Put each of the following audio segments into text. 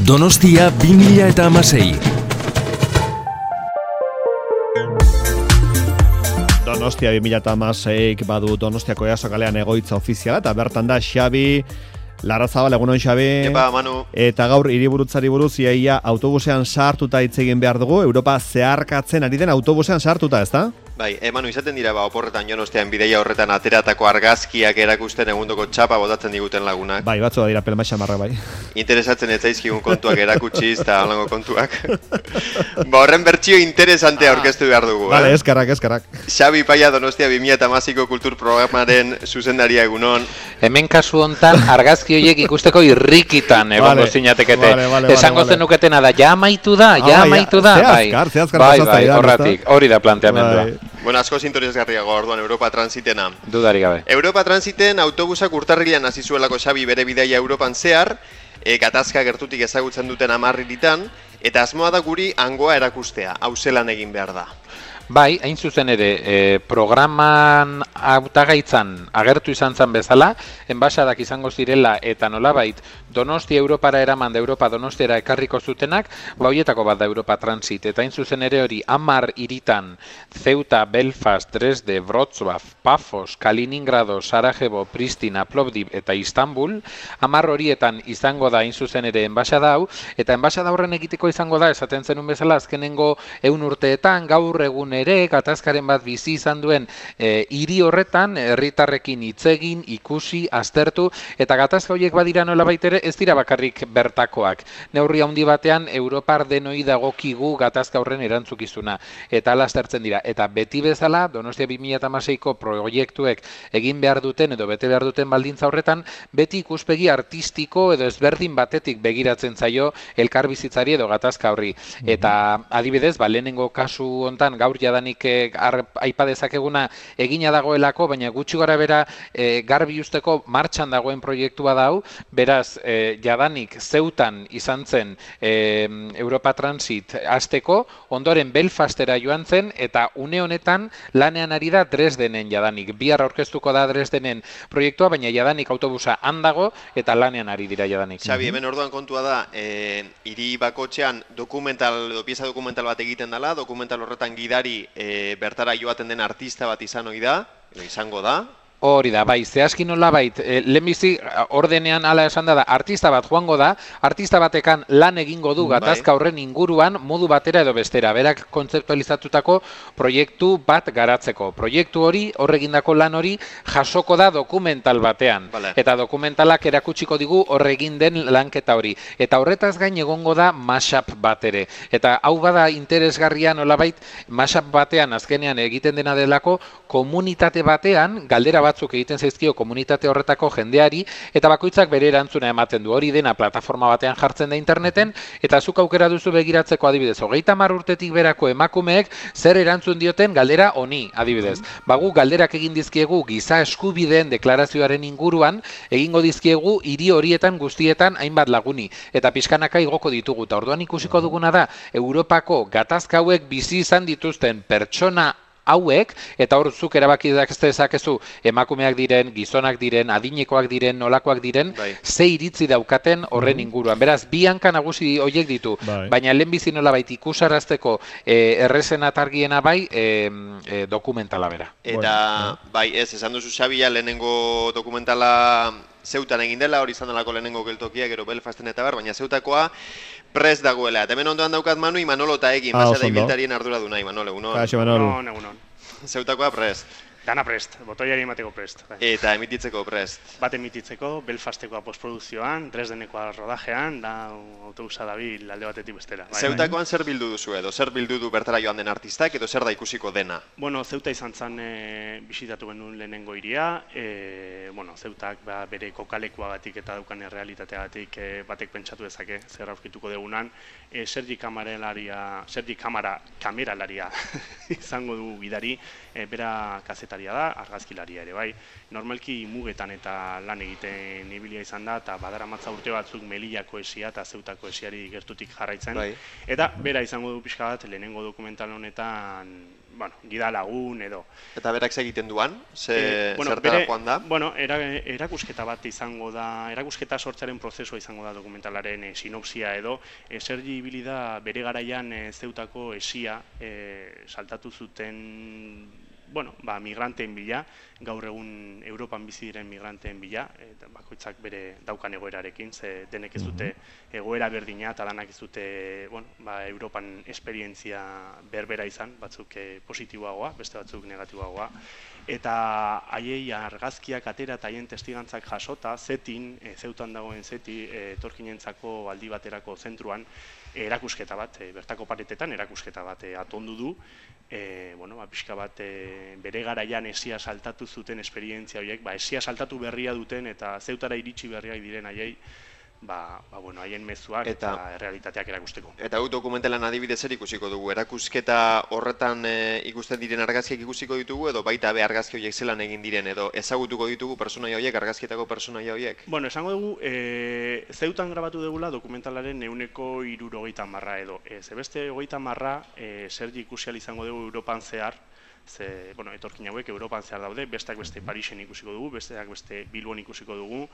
Donostia 2016. Donostia 2016 badu Donostiako Easo kalean egoitza ofiziala, eta bertan da Xabi Larrazabal, egunon Xabi. Epa, Manu. Eta gaur hiriburutzari buruz iaia autobusean sartuta hitz egin behar dugu, Europa zeharkatzen ari den autobusean sartuta, ezta? Bai, Manu, izaten dira oporretan Donostian bideia horretan ateratako argazkiak erakusten egundoko txapa botatzen diguten lagunak. Bai, batzua dira pelma xamarra, bai. Interesatzen ez zaizkigun kontuak erakutsiz eta holango kontuak. Horren bertsio interesantea aurkeztu behar dugu. Vale, eskarrak. Xabi Paia, Donostia 2016ko kultur programaren zuzendaria egunon. Hemen kasu hontan argazki horiek ikusteko irrikitan egongo zinatekete. Esango zenuketena da, ja amaitu da. Bai, horratik, hori da planteamendua. Bueno, asko interesgarriago orduan Europa Transitena. Dudari gabe. Europa Transiten autobusak urtarrilean hasi zuelako Xabi bere bidaia Europan zehar, gatazka gertutik ezagutzen duten 10 hiritan, eta asmoa da guri hangoa erakustea, hau zelan egin behar da. Bai, hain zuzen ere, programan hautagaitzan agertu izan zen bezala, enbaxadak izango zirela eta nolabait Donostia Europara eraman da Europa Donostiara ekarriko zutenak, horietako bat da Europa Transit, eta hain zuzen ere hori 10 hiritan, Ceuta, Belfast, Dresde, Wrocław, Pafos, Kaliningrado, Sarajevo, Pristina, Plovdiv eta Istanbul, 10 horietan izango da hain zuzen ere enbaxada hau, eta enbaxada horren egiteko izango da, esaten zenun bezala, azkenengo 100 urteetan, gaur egun ere, gatazkaren bat bizi izan duen hiri horretan, herritarrekin hitz egin, ikusi, aztertu, eta gatazka horiek badira nolabait ere, ez dira bakarrik bertakoak. Neurri handi batean, Europar denoi dagokigu gatazka horren erantzukizuna, eta ala aztertzen dira. Eta beti bezala, Donostia 2016ko proiektuek egin behar duten edo bete behar duten baldintza horretan, beti ikuspegi artistiko edo ezberdin batetik begiratzen zaio elkarbizitzari edo gatazka horri. Eta adibidez, lehenengo kasu hontan gaur jadanik aipa dezakeguna egina dagoelako, baina gutxi gora bera garbi usteko martxan dagoen proiektua da hau, beraz jadanik Zeutan izan zen Europa Transit hasteko, ondoren Belfastera joan zen, eta une honetan lanean ari da Dresdenen jadanik. Bihar aurkeztuko da Dresdenen proiektua, baina jadanik autobusa handago eta lanean ari dira jadanik. Xabi, hemen orduan kontua da, hiri bakotxean pieza dokumental bat egiten dela, dokumental horretan gidari bertara joaten den artista bat izango da. Hori da, bai, zehazki nolabait, lehenbizi ordenean ala esan da, artista bat joango da, artista batekan lan egingo du gatazka horren inguruan modu batera edo bestera, berak kontzeptualizatutako proiektu bat garatzeko. Proiektu hori, horregindako lan hori, jasoko da dokumental batean. Eta dokumentalak erakutsiko digu horregin den lanketa hori. Eta horretaz gain egongo da mashup bat ere. Eta hau bada interesgarria nolabait, mashup batean azkenean egiten dena delako, komunitate batean, galdera batzuk egiten zaizkio komunitate horretako jendeari, eta bakoitzak bere erantzuna ematen du. Hori dena plataforma batean jartzen da interneten, eta zuk aukera duzu begiratzeko adibidez. 30 urtetik berako emakumeek zer erantzun dioten galdera honi, adibidez. Gu galderak egin dizkiegu giza eskubideen deklarazioaren inguruan, egingo dizkiegu hiri horietan guztietan hainbat laguni. Eta pixkanaka igoko ditugu. Eta orduan ikusiko duguna da, Europako gatazka hauek bizi izan dituzten pertsona hauek, eta hor zuk erabaki dezakezu emakumeak diren, gizonak diren, adinekoak diren, nolakoak diren, ze iritzi daukaten horren inguruan. Beraz, bi hanka nagusi horiek ditu, baina lehenbizi nolabait ikusarazteko errezen atargiena bai dokumentala bera. Eta, bai, esan duzu Xabia, lehenengo dokumentala Zeutan egin dela, hori izan delako lehenengo geltokia, gero Belfasten eta baina Zeutakoa prest dagoela. Eta hemen ondoan daukat Manu, Imanolo eta egin, basada ibiltarien ardura du nahi, Manolo, egunon. Egunon. Zeutakoa prest. Dana prest, botoiari emateko prest. Eta emititzeko prest. Bat emititzeko, Belfastekoa postprodukzioan, Dresdenekoa rodajean, da autobusa dabil alde batetik bestera. Zeutakoan zer bildu duzu edo? Zer bildu du bertara joan den artistak edo zer da ikusiko dena? Bueno, Zeuta izan zen bisitatu genuen lehenengo hiria. Zeutak bere kokalekuagatik eta daukan errealitateagatik batek pentsatu dezake, zer aurkituko degunan. Sergi kameralaria izango du gidari, bera kazetaria da, argazkilaria ere bai. Normalki mugetan eta lan egiten ibilia izan da, eta badaramatza urte batzuk Melillako esia eta Zeutako esiari gertutik jarraitzen. Eta bera izango du pixka bat, lehenengo dokumental honetan gida lagun edo. Eta berak egiten duan? Zertara joan da? Erakusketa bat izango da, erakusketa sortzearen prozesua izango da dokumentalaren sinopsia edo, Sergi ibili da bere garaian Zeutako esia saltatu zuten migranteen bila, gaur egun Europan bizi diren migranteen bila, bakoitzak bere daukan egoerarekin, ze denek ez dute egoera berdina, eta lanak ez dute Europan esperientzia berbera izan, batzuk positiboagoa, beste batzuk negatiboagoa, eta haiei argazkiak atera eta haien testigantzak jasota, Zeutan dagoen Zeti, etorkinentzako aldi baterako zentruan, erakusketa bat, bertako paretetan erakusketa bat atondu du, pixka bat bere garaian esia saltatu zuten esperientzia horiek, esia saltatu berria duten eta Zeutara iritsi berriak diren haiei, haien mezuak eta realitateak erakusteko. Eta hau dokumentalan adibidez ikusiko dugu, erakusketa horretan ikusten diren argazkiak ikusiko ditugu, edo baita be argazki horiek zelan egin diren, edo ezagutuko ditugu pertsonaia horiek, argazkietako pertsonaia horiek? Esango dugu, Zeutan grabatu dugula dokumentalaren 170 edo. Beste 30 Sergi ikusial izango dugu Europan zehar, etorkin hauek Europan zehar daude, besteak beste Parisen ikusiko dugu, besteak beste Bilbon ikusiko dugu,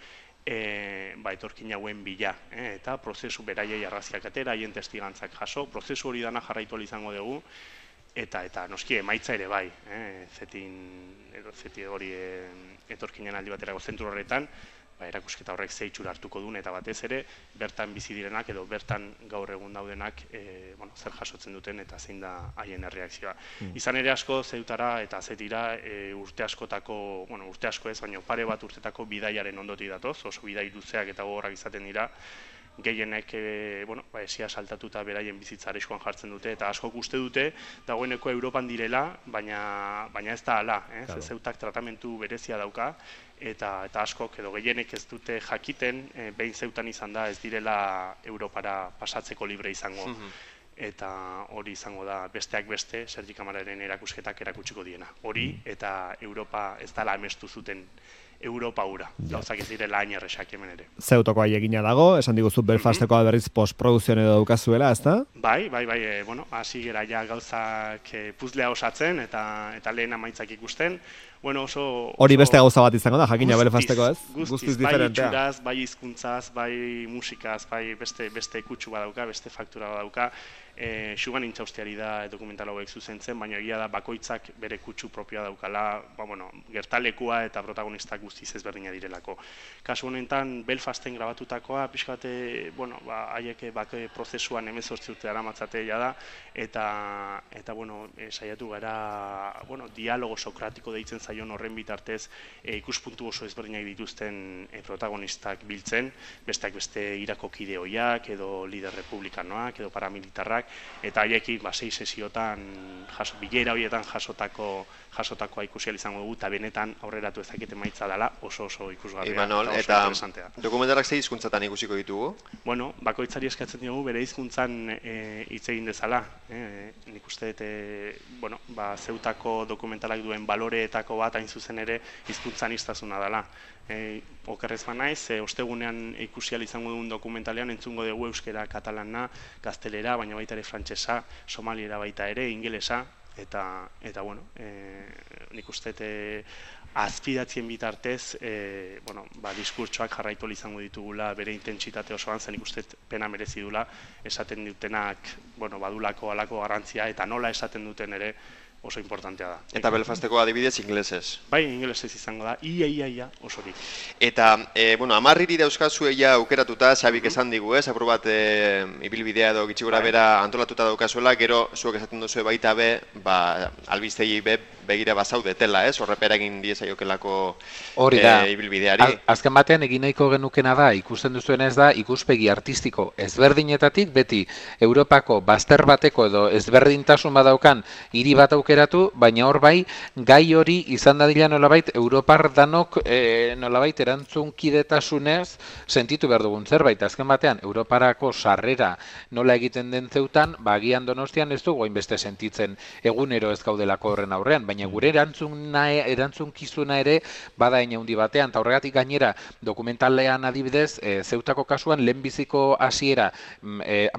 etorkin hauen bila, eta prozesu beraiei argazkiak atera, haien testigantzak jaso, prozesu hori dana jarraitu izango dugu, eta noski emaitza ere bai, Zeti hori etorkinen aldi baterako zentru horretan, erakusketa horrek ze itxura hartuko duen, eta batez ere, bertan bizi direnak edo bertan gaur egun daudenak zer jasotzen duten eta zein da haien erreakzioa. Izan ere asko Zeutara eta Zetira urte asko ez, baina pare bat urtetako bidaiaren ondotik datoz, oso bidai luzeak eta gogorrak izaten dira, gehienek esia saltatuta beraien bizitza arriskuan jartzen dute, eta askok uste dute dagoeneko Europan direla, baina ez da hala, Zeutak tratamentu berezia dauka, eta askok edo gehienek ez dute jakiten, behin Zeutan izan da ez direla Europara pasatzeko libre izango. Eta hori izango da besteak beste, Sergi Kamararen erakusketak erakutsiko diena. Hori eta Europa ez dela amestu zuten Europa hura. Gauzak ez direla hain erresak hemen ere. Zeutoko aiegina dago, esan diguzu Belfastekoa berriz postprodukzioan edo daukazuela, ezta? Bai, hasi gera ja gauzak puzlea osatzen eta lehen amaitzak ikusten. Hori beste gauza bat izango da, jakina Belfasteko ez? Guztiz, bai itxuraz, bai hizkuntzaz, bai musikaz, bai beste kutsu badauka, beste faktura badauka. Xugan Intxaustiari da dokumental hauek zuzentzen, baina egia da bakoitzak bere kutsu propioa daukala, gertalekua eta protagonistak guztiz ezberdina direlako. Kasu honetan, Belfasten grabatutakoa, pixka bate, haiek prozesuan 18 urte daramatzate da, eta saiatu gara, dialogo sokratiko deitzen zaion horren bitartez, ikuspuntu oso ezberdinak dituzten protagonistak biltzen, besteak beste Irako kideoiak, edo lider republikanoak, edo paramilitarrak, eta haiekin 6 sesiotan, bilera horietan jasotakoa ikusial izango dugu, eta benetan aurreratu ezakete maitza dela oso ikusgarria. Imanol, eta dokumentarak ze hizkuntzatan ikusiko ditugu? Bakoitzari eskatzen diogu bere hizkuntzan hitz egin dezala. Nik uste Zeutako dokumentalak duen baloreetako bat hain zuzen ere hizkuntzaniztasuna dela. Okerrez banaiz, ostegunean ikusial izango dugun dokumentalean entzungo dugu euskera, katalana, gaztelera, baina baita ere frantsesa, somaliera baita ere, ingelesa, eta nik uste azpidatzien bitartez, diskurtsoak jarraitu izango ditugula bere intentsitate osoan, zen nik uste pena merezi dula, esaten dutenak badulako alako garrantzia, eta nola esaten duten ere oso importantea da. Eta Belfasteko adibidez ingelesez? Bai, ingelesez izango da, ia osorik. Eta, 10 hiri dauzkazu eia aukeratuta, Xabik esan digu, apur bat ibilbidea edo gitxigora bera antolatuta daukazuela, gero zuek esaten duzu baita be, albistegi be, begira bazaudetela, horrepera egin diezaiokelako ibilbideari. Azken batean egin nahiko genukena da, ikusten duzuen ez da, ikuspegi artistiko ezberdinetatik, beti Europako bazter bateko edo ezberdintasun badaukan hiri bat aukeratu, baina hor bai, gai hori izan dadila nolabait, Europar danok nolabait erantzunkidetasunez sentitu behar dugun zerbait. Azken batean, Europarako sarrera nola egiten den Zeutan, agian Donostian ez dugu hainbeste sentitzen egunero ez gaudelako horren aurrean, baina baina gure erantzunkizuna ere bada hein handi batean, eta horregatik gainera dokumentalean adibidez, Zeutako kasuan lehenbiziko hasiera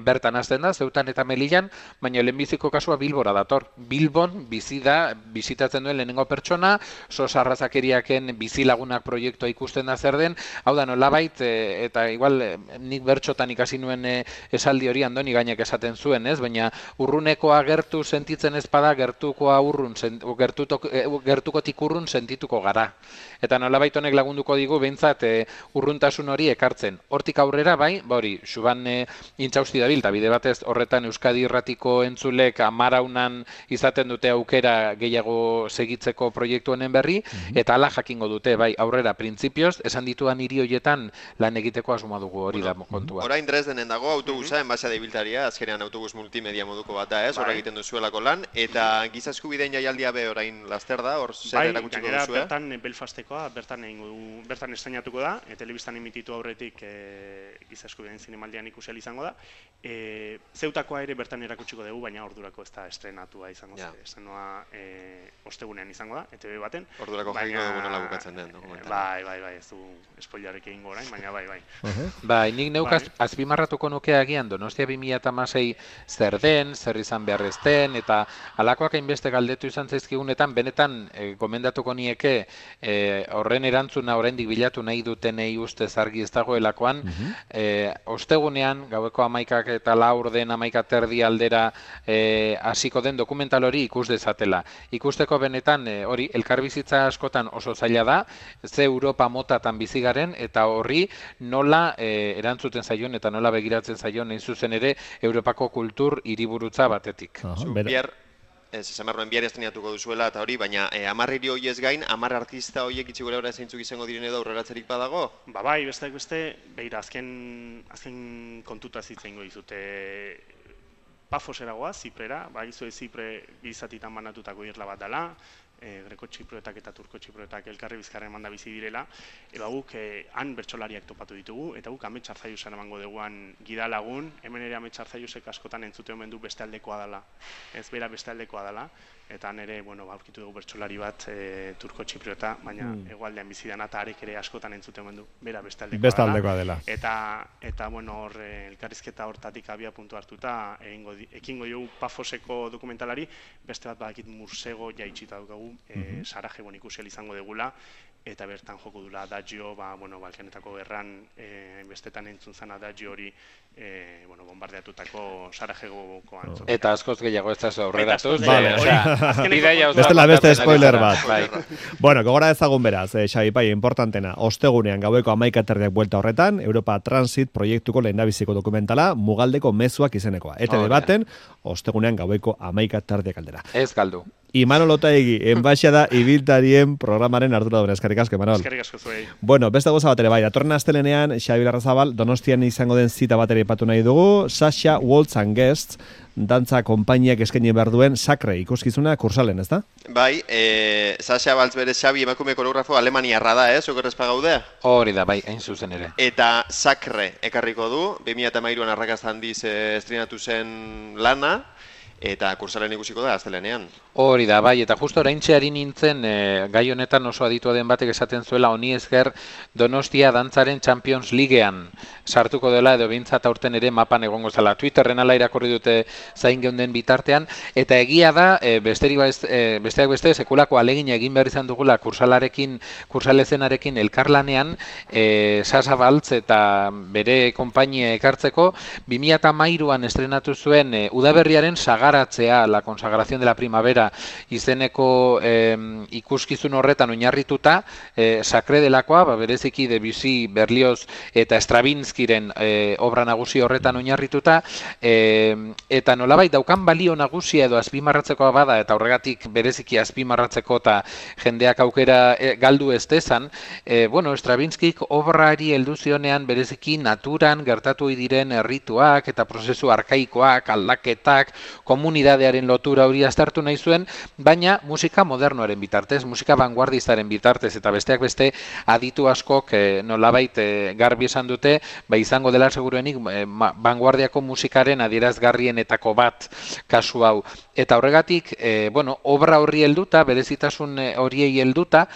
bertan hasten da, Zeutan eta Melillan, baina lehenbiziko kasua Bilbora dator. Bilbon bizitatzen duen lehenengo pertsona, sos arrazakeriaken bizilagunak proiektua ikusten da zer den, hau da nolabait, eta igual nik bertxotan ikasi nuen esaldi hori Andoni Gainek esaten zuen, ez? Baina urrunekoa gertu sentitzen ez bada, gertukotik urrun sentituko gara. Eta nolabait honek lagunduko digu behintzat urruntasun hori ekartzen. Hortik aurrera bai, hori, Xuban intxausti dabil, eta bide batez horretan Euskadi Irratiko entzulek amaraunan izaten dute aukera gehiago segitzeko proiektu honen berri, eta hala jakingo dute, bai, aurrera, printzipioz, esan dituan hiri hoietan lan egiteko asmoa dugu hori da kontua. Orain Dresdenen dago autobusa, enbasea ibiltaria, azkenean autobus multimedia moduko bat da, ez? Horra egiten duzuelako lan, eta giza eskubideen jaialdia be orain laster da, hor zer erakutsiko duzue? Bai, bertan Belfastekoa, bertan estrainatuko da, telebistan emititu aurretik giza eskubideen zinemaldian ikusial izango da. Zeutakoa ere bertan erakutsiko dugu, baina ordurako ez da estrenatua izango zen. Estrenoa ostegunean izango da, ETV baten. Ordurako jakingo dugu nola bukatzen den dokumentala. Bai, ez du spoilerrik egingo orain, baina bai. Bai, nik neuk azpimarratuko nuke agian Donostia 2016 zer den, zer izan behar ez den, eta halakoak hainbeste galdetu izan zaizkigunetan, benetan gomendatuko nieke horren erantzuna oraindik bilatu nahi dutenei ustez argi ez dagoelakoan, ostegunean, gaueko 11 eta 4 den 11:30 aldera hasiko den dokumental hori ikus dezatela. Ikusteko benetan hori elkarbizitza askotan oso zaila da, ze Europa motatan bizi garen, eta horri nola erantzuten zaion eta nola begiratzen zaion hain zuzen ere Europako kultur hiriburutza batetik. Esan behar nuen bihar estrenatuko duzuela eta hori, baina 10 hiri horiez gain, 10 artista horiek itxi gure hori zeintzuk izango diren edo aurreratzerik badago? Bai, beste, beira, azken kontuta zitzengo dizute Pafosera goaz, Ziprera, bagizue Zipre gizatitan banatutako irla bat dela, greko txiproetak eta turko txiproetak elkarri bizkarren manda bizi direla, guk han bertsolariak topatu ditugu, eta guk Amets Arzaiusen emango duguan gidalagun, hemen ere Amets Arzaiusek askotan entzute omen du beste aldekoa dela, ez bera beste aldekoa dela, eta nire, aurkitu dugu bertsolari bat turko txipriota, baina hegoaldean bizi dena eta arek ere askotan entzute omen du, bera beste aldekoa dela. Eta hor elkarrizketa hortatik abia puntu hartuta, ekingo dugu Pafoseko dokumentalari, beste bat badakit Mursego jaitsita dugu, Sarajevon ikusial izango degula, eta bertan joko dula adagio, Balkanetako gerran bestetan entzun zen adagio hori bombardeatutako Sarajevoko antzokia. Eta askoz gehiago ez da aurreratuz. Beste spoiler bat. Bueno, gogora ezagun beraz, Xabi Pai, importantena, ostegunean gaueko 11:30 buelta horretan, Europa Transit proiektuko lehendabiziko dokumentala, Mugaldeko mezuak izenekoa. ETV baten, ostegunean gaueko 11:30 aldera. Ez galdu. Imanol Otaegi, enbaixada ibiltarien programaren arduraduna. Eskerrik asko, Imanol. Eskerrik asko zuei. Bueno, beste gauza bat ere bai, datorren astelenean Xabi Larrazabal Donostian izango den zita bat ere aipatu nahi dugu, Sasha Waltz and Guests, dantza konpainiak eskaini behar duen Sakre ikuskizuna kursalen, ez da? Bai, Sasha Waltz bere Xabi emakume koreografo Alemaniarra da, okerrezpa gaude? Hori da, bai, hain zuzen ere. Eta Sakre ekarriko du, 2013an arrakasta handiz estrenatu zen lana, eta kursalen ikusiko da astelenean. Hori da, bai, eta justo oraintxe ari nintzen gai honetan oso aditua den batek esaten zuela honi esker Donostia dantzaren Champions Leaguean sartuko dela edo behintzat aurten ere mapan egongo zela. Twitterren ala irakurri dute zain geunden bitartean, eta egia da, besteak beste, sekulako alegina egin behar izan dugula kursalezenarekin elkarlanean, Sasha Waltz eta bere konpainia ekartzeko, 2013an estrenatu zuen udaberriaren sagaratzea, la consagración de la primavera, izeneko ikuskizun horretan oinarrituta, Sakre delakoa, bereziki Debussy, Berlioz eta Stravinskiren obra nagusi horretan oinarrituta, eta nolabait daukan balio nagusia edo azpimarratzekoa bada, eta horregatik bereziki azpimarratzeko eta jendeak aukera galdu ez dezan, Stravinskik obrari heldu zionean bereziki naturan gertatu diren errituak eta prozesu arkaikoak, aldaketak, komunidadearen lotura hori aztertu nahi zuen, baina musika modernoaren bitartez, musika vanguardistaren bitartez, eta besteak beste aditu askok nolabait garbi esan dute, izango dela seguruenik vanguardiako musikaren adierazgarrienetako bat kasu hau. Eta horregatik, obra horri helduta, berezitasun horiei helduta,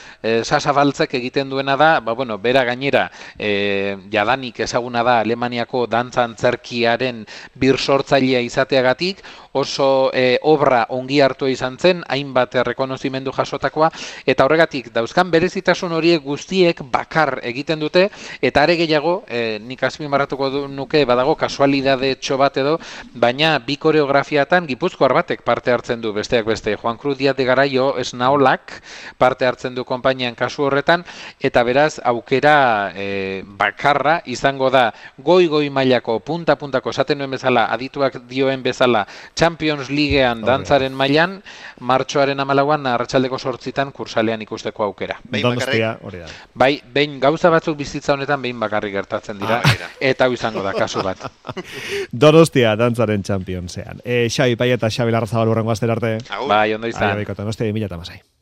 Sasa Baltzek egiten duena da, bera gainera, jadanik ezaguna da Alemaniako dantza antzerkiaren birsortzailea izateagatik, oso obra ongi hartu izan zen, hainbat errekonozimendu jasotakoa, eta horregatik dauzkan berezitasun horiek guztiek bakar egiten dute, eta are gehiago, nik azpimarratuko nuke badago kasualidade txo bat edo, baina bi koreografiatan Gipuzkoar batek parte hartzen du, besteak beste, Juan Cruz Díaz de Garaio Esnaolak parte hartzen du konpainian kasu horretan, eta beraz aukera bakarra izango da goi mailako, punta-puntako, esaten nuen bezala, adituak dioen bezala, Champions Leaguean dantzaren mailan, martxoaren 14an arratsaldeko 8 kursalean ikusteko aukera. Bai, behin gauza batzuk bizitza honetan behin bakarrik gertatzen dira, eta hau izango da kasu bat. Donostia dantzaren Championsean. Xabi Pai eta Xabi Larrazabal hurrengo astera arte. Bai, ondo izan. Donostia 2016.